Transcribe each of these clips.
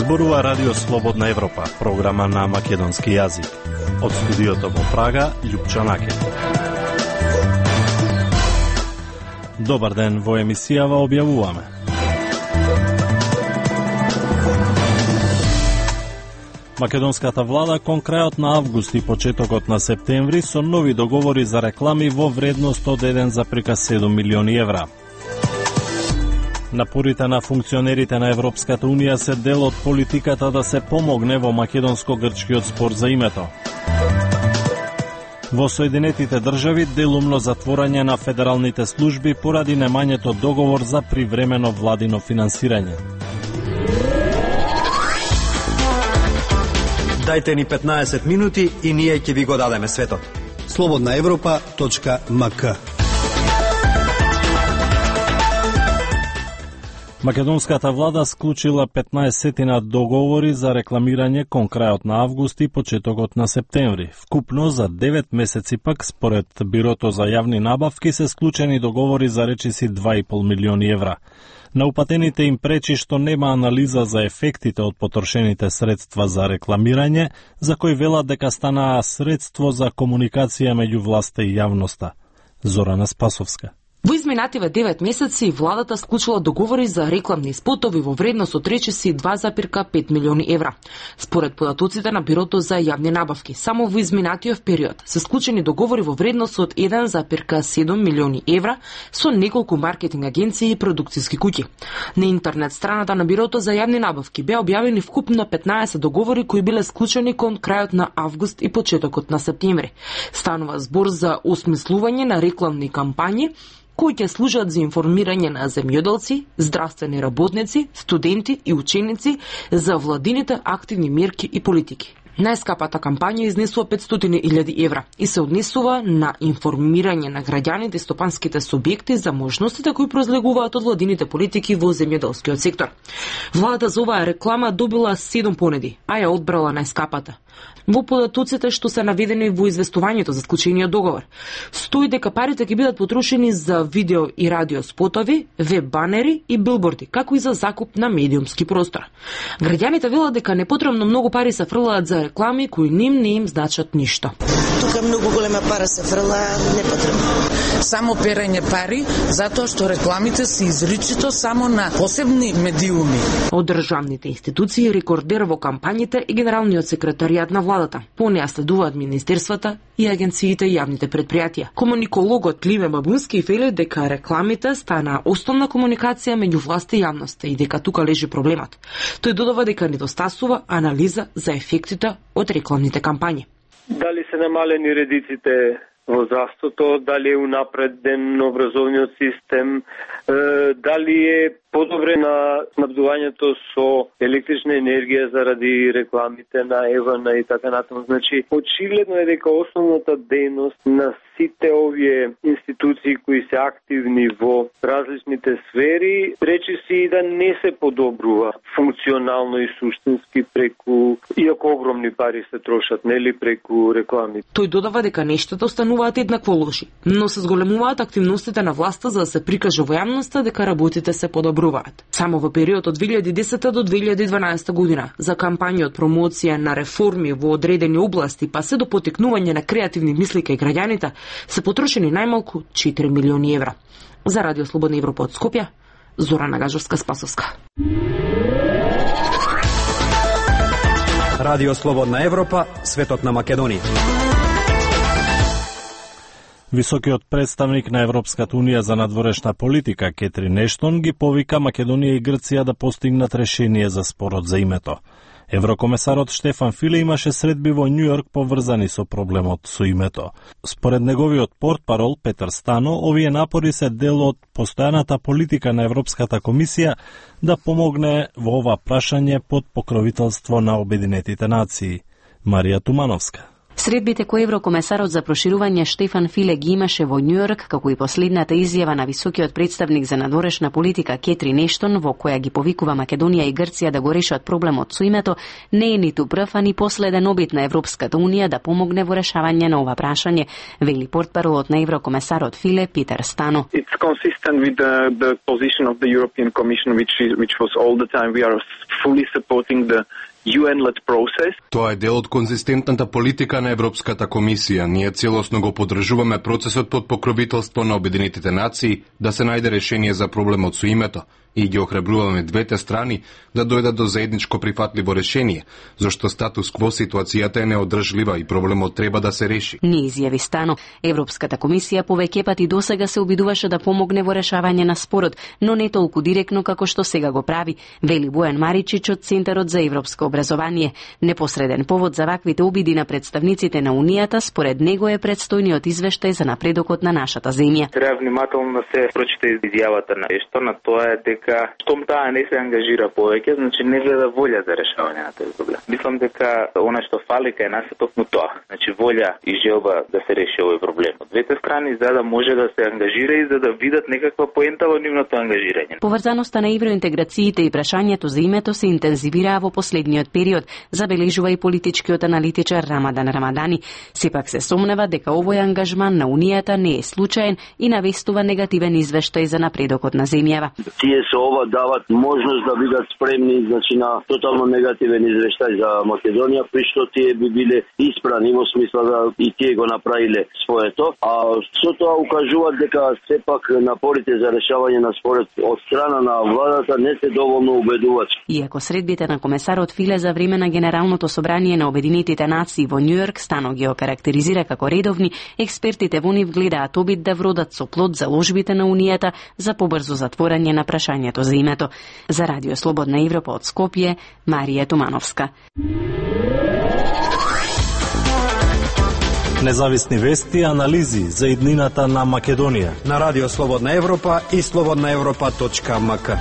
Зборува Радио Слободна Европа, програма на македонски јазик. Од студиото во Прага, Љупчо Накет. Добар ден, во емисијава објавуваме. Македонската влада кон крајот на август и почетокот на септември со нови договори за реклами во вредност од 1,7 милиони евра. Напорите на функционерите на Европската Унија се дел од политиката да се помогне во македонско-грчкиот спор за името. Во Соединетите држави делумно затворање на федералните служби поради немањето договор за привремено владино финансирање. Дајте ни 15 минути и ние ќе ви го дадеме светот. slobodnaevropa.mk. Македонската влада склучила 15 договори за рекламирање кон крајот на август и почетокот на септември. Вкупно за 9 месеци пак, според Бирото за јавни набавки, се склучени договори за речиси 2,5 милиони евра. На упатените им пречи што нема анализа за ефектите од потрошените средства за рекламирање, за кои велат дека станаа средство за комуникација меѓу власта и јавноста. Зорана Спасовска. Во изминативе 9 месеци владата склучила договори за рекламни спотови во вредност од речиси 2,5 милиони евра. Според податоците на Бирото за јавни набавки, само во изминатиот период се склучени договори во вредност од 1,7 милиони евра со неколку маркетинг агенции и продукциски куќи. На интернет страната на Бирото за јавни набавки беа објавени вкупно 15 договори кои биле склучени кон крајот на август и почетокот на септември. Станува збор за осмислување на рекламни кампањи кои ќе служат за информирање на земјоделци, здравствени работници, студенти и ученици за владините активни мерки и политики. Најскапата кампања изнесува 500.000 евра и се однесува на информирање на граѓаните и стопанските субјекти за можностите кои произлегуваат од владините политики во земјоделскиот сектор. Владата за оваа реклама добила 7 понеди, а ја одбрала најскапата. Во податоците што се наведени во известувањето за склучениот договор, стои дека парите ќе бидат потрошени за видео и радио спотови, веб банери и билборди, како и за закуп на медиумски простор. Граѓаните велат дека непотребно многу пари се фрлаат за реклами кои не им значат ништо. Тука многу голема пара се фрла непотребно. Само перење пари, затоа што рекламите се изричито само на посебни медиуми. Од државните институции рекордер во кампањите е генералниот секретаријат на владата. По неа следуваат министерствата и агенциите и јавните предпријатија. Комуникологот Ливе Бабунски вели дека рекламите станаа основна комуникација меѓу власт и јавноста и дека тука лежи проблемот. Тој додава дека недостасува анализа за ефектите од рекламните кампањи. Дали се намалени редиците во здравството, дали е унапреден образовниот систем, дали е подобре на снабдувањето со електрична енергија заради рекламите на Евана и така натаму. Значи, очигледно е дека основната дејност на сите овие институции кои се активни во различните сфери, речиси да не се подобрува функционално и суштински преку, иако огромни пари се трошат, нели, преку реклами. Тој додава дека нештата остануваат еднакво лоши, но се зголемуваат активностите на власта за да се прикаже во јавноста дека работите се подобруваат. Само во период од 2010 до 2012 година за кампањи од промоција на реформи во одредени области па се до потекнување на креативни мисли кај граѓаните се потрошени најмалку 4 милиони евра. За Радио Слободна Европа од Скопје, Зорана Гажовска-Спасовска. Радио Слободна Европа, светот на Македонија. Високиот представник на Европската Унија за надворешна политика Кетрин Ештон ги повика Македонија и Грција да постигнат решение за спорот за името. Еврокомесарот Штефан Филе имаше средби во Њујорк поврзани со проблемот со името. Според неговиот портпарол Петар Стано, овие напори се дел од постојаната политика на Европската комисија да помогне во ова прашање под покровителство на Обединетите нации. Марија Тумановска. Средбите кои еврокомесарот за проширување Штефан Филе ги имаше во Њујорк, како и последната изјава на високиот представник за надворешна политика Кетрин Ештон, во која ги повикува Македонија и Грција да го решат проблемот со името, не е ниту прв, а ни последен обид на Европската унија да помогне во решавање на ова прашање, вели портпаролот на еврокомесарот Филе Питер Стано. It's consistent with the position of the European Commission, which was all the time we are fully supporting the UN-led process. Тоа е дел од конзистентната политика на Европската комисија. Ние целосно го поддржуваме процесот под покровителство на Обединетите нации да се најде решение за проблемот со името и ги охрабруваме двете страни да дојдат до заедничко прифатливо решение, зашто статус кво ситуацијата е неодржлива и проблемот треба да се реши. Не изјави Стано. Европската комисија повеќе пати досега се обидуваше да помогне во решавање на спорот, но не толку директно како што сега го прави, вели Бојан Маричич од Центарот за европско образование. Непосреден повод за ваквите обиди на представниците на Унијата според него е предстојниот извештај за напредокот на нашата земја. Треба внимателно да се прочита изјавата на Ештон, а тоа е дека штом таа не се ангажира повеќе, значи не гледа волја за решавање на тој проблем. Мислам дека она што фали кај нас е токму тоа, значи волја и желба да се реши овој проблем. Од двете страни за да може да се ангажира и за да видат некаква поента во нивното ангажирање. Поврзаноста на евроинтеграциите и прашањето за името се интензивираа во последниот период, забележува и политичкиот аналитичар Рамадан Рамадани. Сепак се сомнева дека овој ангажман на Унијата не е случаен и навестува негативен извештај за напредокот на земјава. Тие со ова дават можност да бидат спремни, значи на тотално негативен извештај за Македонија, при што тие би биле испрани во смисла да и тие го направиле своето, а со тоа укажуваат дека сепак напорите за решавање на спорот од страна на владата не се доволно убедувачки. Иако средбите на комесарот Филе за време на Генералното собрание на Обединетите нации во Њујорк Стано ги окарактеризира како редовни, експертите во нив гледаат обид да вродат со плод заложбите на Унијата за побрзо затворање на прашањето за името. За Радио Слободна Европа од Скопје, Марија Тумановска. Независни вести и анализи за иднината на Македонија на Радио Слободна Европа и slobodnaevropa.mk.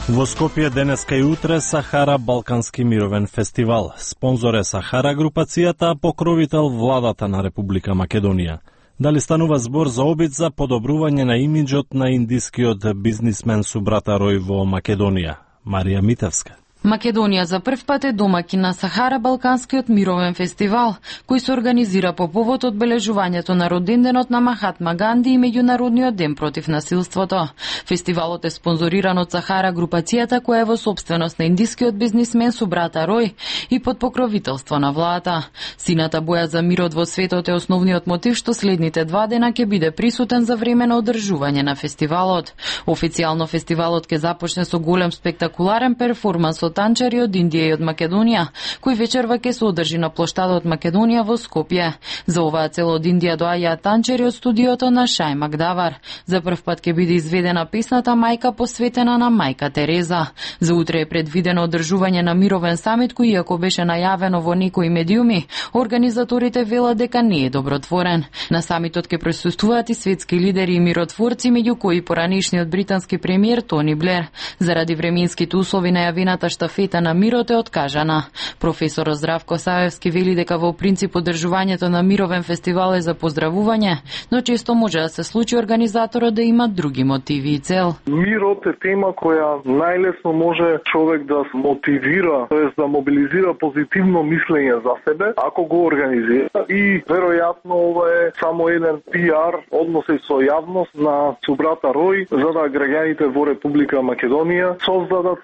Во Скопје денеска и утре Сахара Балкански мировен фестивал. Спонзор е Сахара групацијата, а покровител владата на Република Македонија. Дали станува збор за обид за подобрување на имиџот на индискиот бизнисмен Субрата Рој во Македонија? Марија Митевска. Македонија за прв пат е домаќин на Сахара Балканскиот мировен фестивал, кој се организира по повод одбележувањето на роденденот на Махатма Ганди и Меѓународниот ден против насилството. Фестивалот е спонзориран од Сахара групацијата, која е во сопственост на индискиот бизнисмен Субрата Рој и под покровителство на владата. Сината боја за мирот во светот е основниот мотив што следните 2 дена ќе биде присутен за време на одржување на фестивалот. Официјално фестивалот ќе започне со голем спектакуларен перформанс од танчари од Индија и од Македонија, кој вечерва ќе се одржи на плоштадот Македонија во Скопје. За оваа цел од Индија доаѓаат танчари од студиото на Шај Магдавар. За прв пат ќе биде изведена песната Мајка посветена на Мајка Тереза. За утре е предвидено одржување на мировен самит кој иако беше најавено во некои медиуми, организаторите велат дека не е добротворен. На самитот ќе присуствуваат и светски лидери и миротворци, меѓу кои поранешниот британски премиер Тони Блер. Заради временските услови најавената штафета на мирот е откажана. Професорот Здравко Саевски вели дека во принцип одржувањето на мировен фестивал е за поздравување, но често може да се случи организаторот да има други мотиви и цел. Мирот е тема која најлесно може човек да мотивира, тоест да мобилизира позитивно мислење за себе, ако го организира. И веројатно ова е само еден пиар односи со јавност на Субрата Рој, за да граѓаните во Република Македонија создадат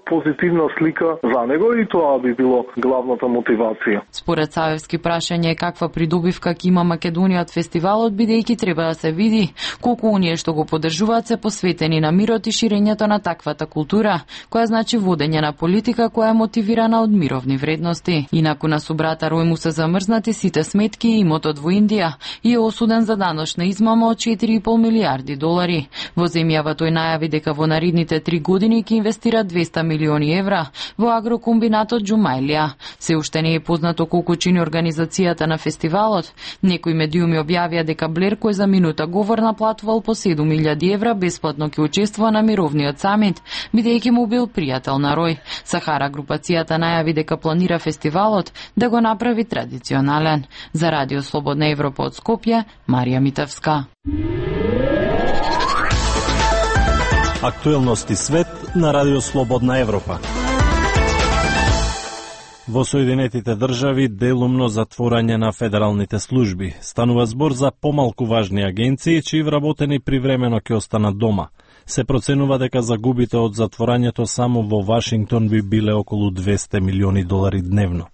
позитивна слика за него и тоа би било главната мотивација. Според Саевски прашање е каква придобивка ќе има Македонија од фестивалот, бидејќи треба да се види колку оние што го поддржуваат се посветени на мирот и ширењето на таквата култура, која значи водење на политика која е мотивирана од мировни вредности. Инаку на Субрата Рој му се замрзнати сите сметки и имотот во Индија и е осуден за даночна измама од 4,5 милиарди долари. Во земјава тој најави дека во наредните 3 години ќе инвестира 200 милиони евра евра во агрокомбинатот Джумајлија. Се уште не е познато колку чини организацијата на фестивалот. Некои медиуми објавија дека Блер, кој за минута говор наплатувал по 7.000 евра, бесплатно ќе учествува на мировниот самит, бидејќи му бил пријател на Рој. Сахара групацијата најави дека планира фестивалот да го направи традиционален. За Радио Слободна Европа од Скопје, Марија Митевска. Актуелности свет на Радио Слободна Европа. Во Соединетите држави делумно затворање на федералните служби. Станува збор за помалку важни агенции, чии вработени привремено ќе останат дома. Се проценува дека загубите од затворањето само во Вашингтон би биле околу 200 милиони долари дневно.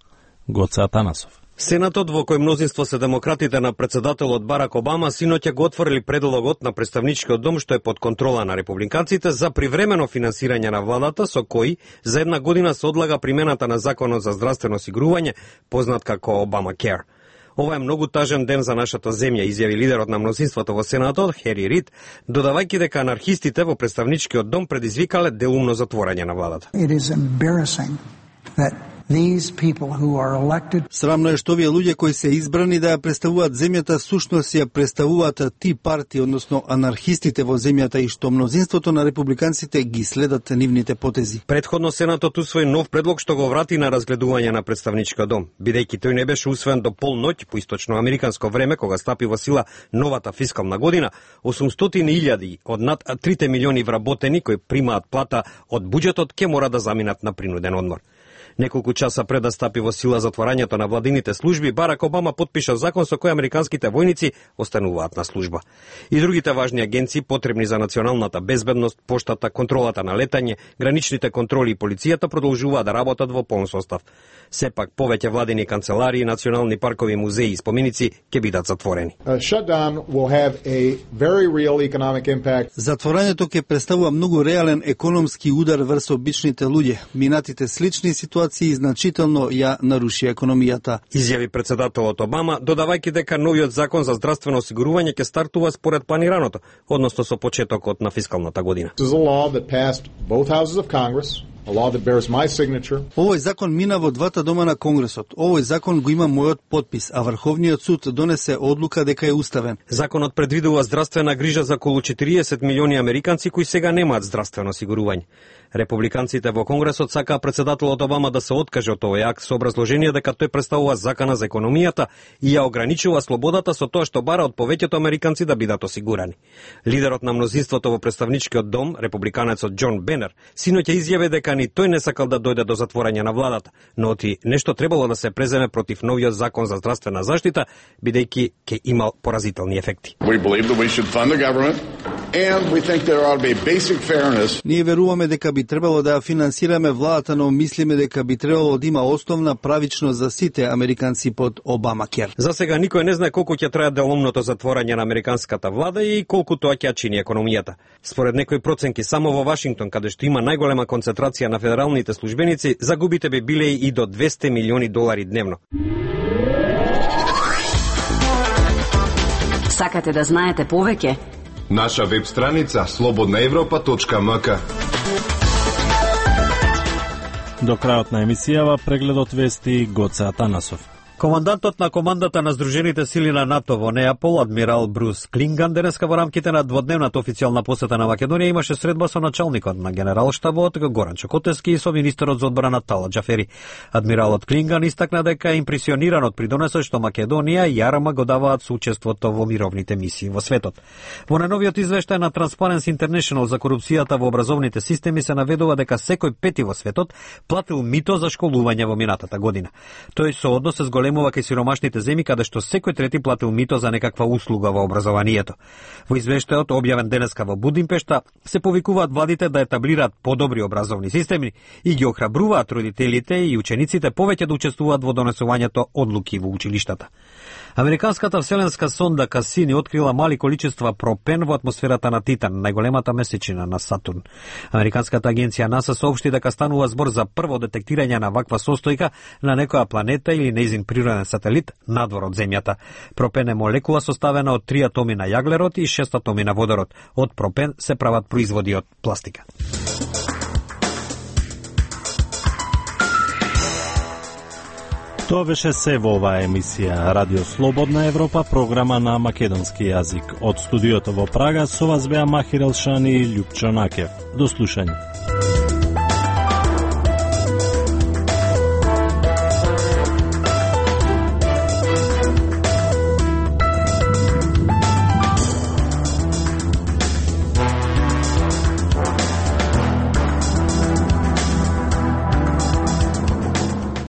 Гоце Атанасов. Сенатот, во кој мнозинство се демократите на председателот Барак Обама, синоќа го отворили предлогот на Претставничкиот дом, што е под контрола на републиканците, за привремено финансирање на владата, со кој за една година се одлага примената на Законот за здравствено осигурување, познат како Obamacare. Ова е многу тажен ден за нашата земја, изјави лидерот на мнозинството во Сенатот, Хери Рид, додавајќи дека анархистите во Претставничкиот дом предизвикале делумно затворање на владата. Срамно е што овие луѓе кои се избрани да ја представуваат земјата, сушност ја представуваат ти партии, односно анархистите во земјата, и што мнозинството на републиканците ги следат нивните потези. Предходно Сенатот усвои нов предлог што го врати на разгледување на Претставничкиот дом, бидејќи тој не беше усвоен до полноќ по источноамериканско време, кога стапи во сила новата фискална година. 800.000 од над 3 милиони вработени кои примаат плата од буџетот ќе мора да заминат на принуден одмор. Неколку часа пред да стапи во сила затворањето на владините служби, Барак Обама потпиша закон со кој американските војници остануваат на служба. И другите важни агенции потребни за националната безбедност, поштата, контролата на летање, граничните контроли и полицијата продолжуваат да работат во полн состав. Сепак повеќе владини канцеларии, национални паркови, музеи и споменици ќе бидат затворени. Затворањето ќе представува многу реален економски удар врз обичните луѓе. Минатите слични ситуации значително ја наруши економијата, изјави председателот Обама, додавајќи дека новиот закон за здравствено осигурување ќе стартува според планираното, односно со почетокот на фискалната година. Овој закон мина во двата дома на Конгресот. Овој закон го има мојот подпис, а Врховниот суд донесе одлука дека е уставен. Законот предвидува здравствена грижа за околу 40 милиони американци кои сега немаат здравствено осигурување. Републиканците во Конгресот сакаа председателот Обама да се откаже од овој акт со образложение дека тој представува закана за економијата и ја ограничува слободата со тоа што бара од повеќето американци да бидат осигурани. Лидерот на мнозинството во Претставничкиот дом, републиканецот Џон Бенер, синоќа изјави дека ни тој не сакал да дојде до затворање на владата, но оти нешто требало да се преземе против новиот закон за здравствена заштита, бидејќи ќе имал поразителни ефекти. Ние веруваме дека би требало да ја финансираме владата, но мислиме дека би требало да има основна правичност за сите американци под Обамакер. За сега никој не знае колку ќе трае делумното затворање на американската влада и колку тоа ќе чини економијата. Според некои проценки, само во Вашингтон, каде што има најголема концентрација на федералните службеници, загубите би биле и до 200 милиони долари дневно. Сакате да знаете повеќе? Наша веб страница slobodnaevropa.mk. До крајот на емисијава прегледот вести Гоце Атанасов. Командантот на командата на Сдружените сили на НАТО во Неапол, адмирал Брус Клинган, денеска во рамките на дводневната официјална посета на Македонија имаше средба со началникот на генералштабот Горан Чокотевски и со министерот за одбрана Тала Џафери. Адмиралот Клинган истакна дека е импресиониран од придонесот што Македонија и АРМ го даваат со учеството во мировните мисии во светот. Во најновиот извештај на Transparency International за корупцијата во образовните системи се наведува дека секој пети во светот платил мито за школување во минатата година. Тој со однос се зголемува кај сиромашните земји каде што секој трети платил мито за некаква услуга во образованието. Во извештајот објавен денеска во Будимпешта се повикуваат владите да етаблираат подобри образовни системи и ги охрабруваат родителите и учениците повеќе да учествуваат во донесувањето одлуки во училиштата. Американската вселенска сонда Касини открила мали количества пропен во атмосферата на Титан, најголемата месечина на Сатурн. Американската агенција НАСА соопшти дека станува збор за прво детектирање на ваква состојка на некоја планета или нејзин природен сателит надвор од Земјата. Пропен е молекула составена од 3 атоми на јаглерод и 6 атоми на водород. Од пропен се прават производи од пластика. Тоа беше се во оваа емисија Радио Слободна Европа, програма на македонски јазик. Од студиото во Прага со вас беа Махир Елшани и Љупчо Накев. До слушање.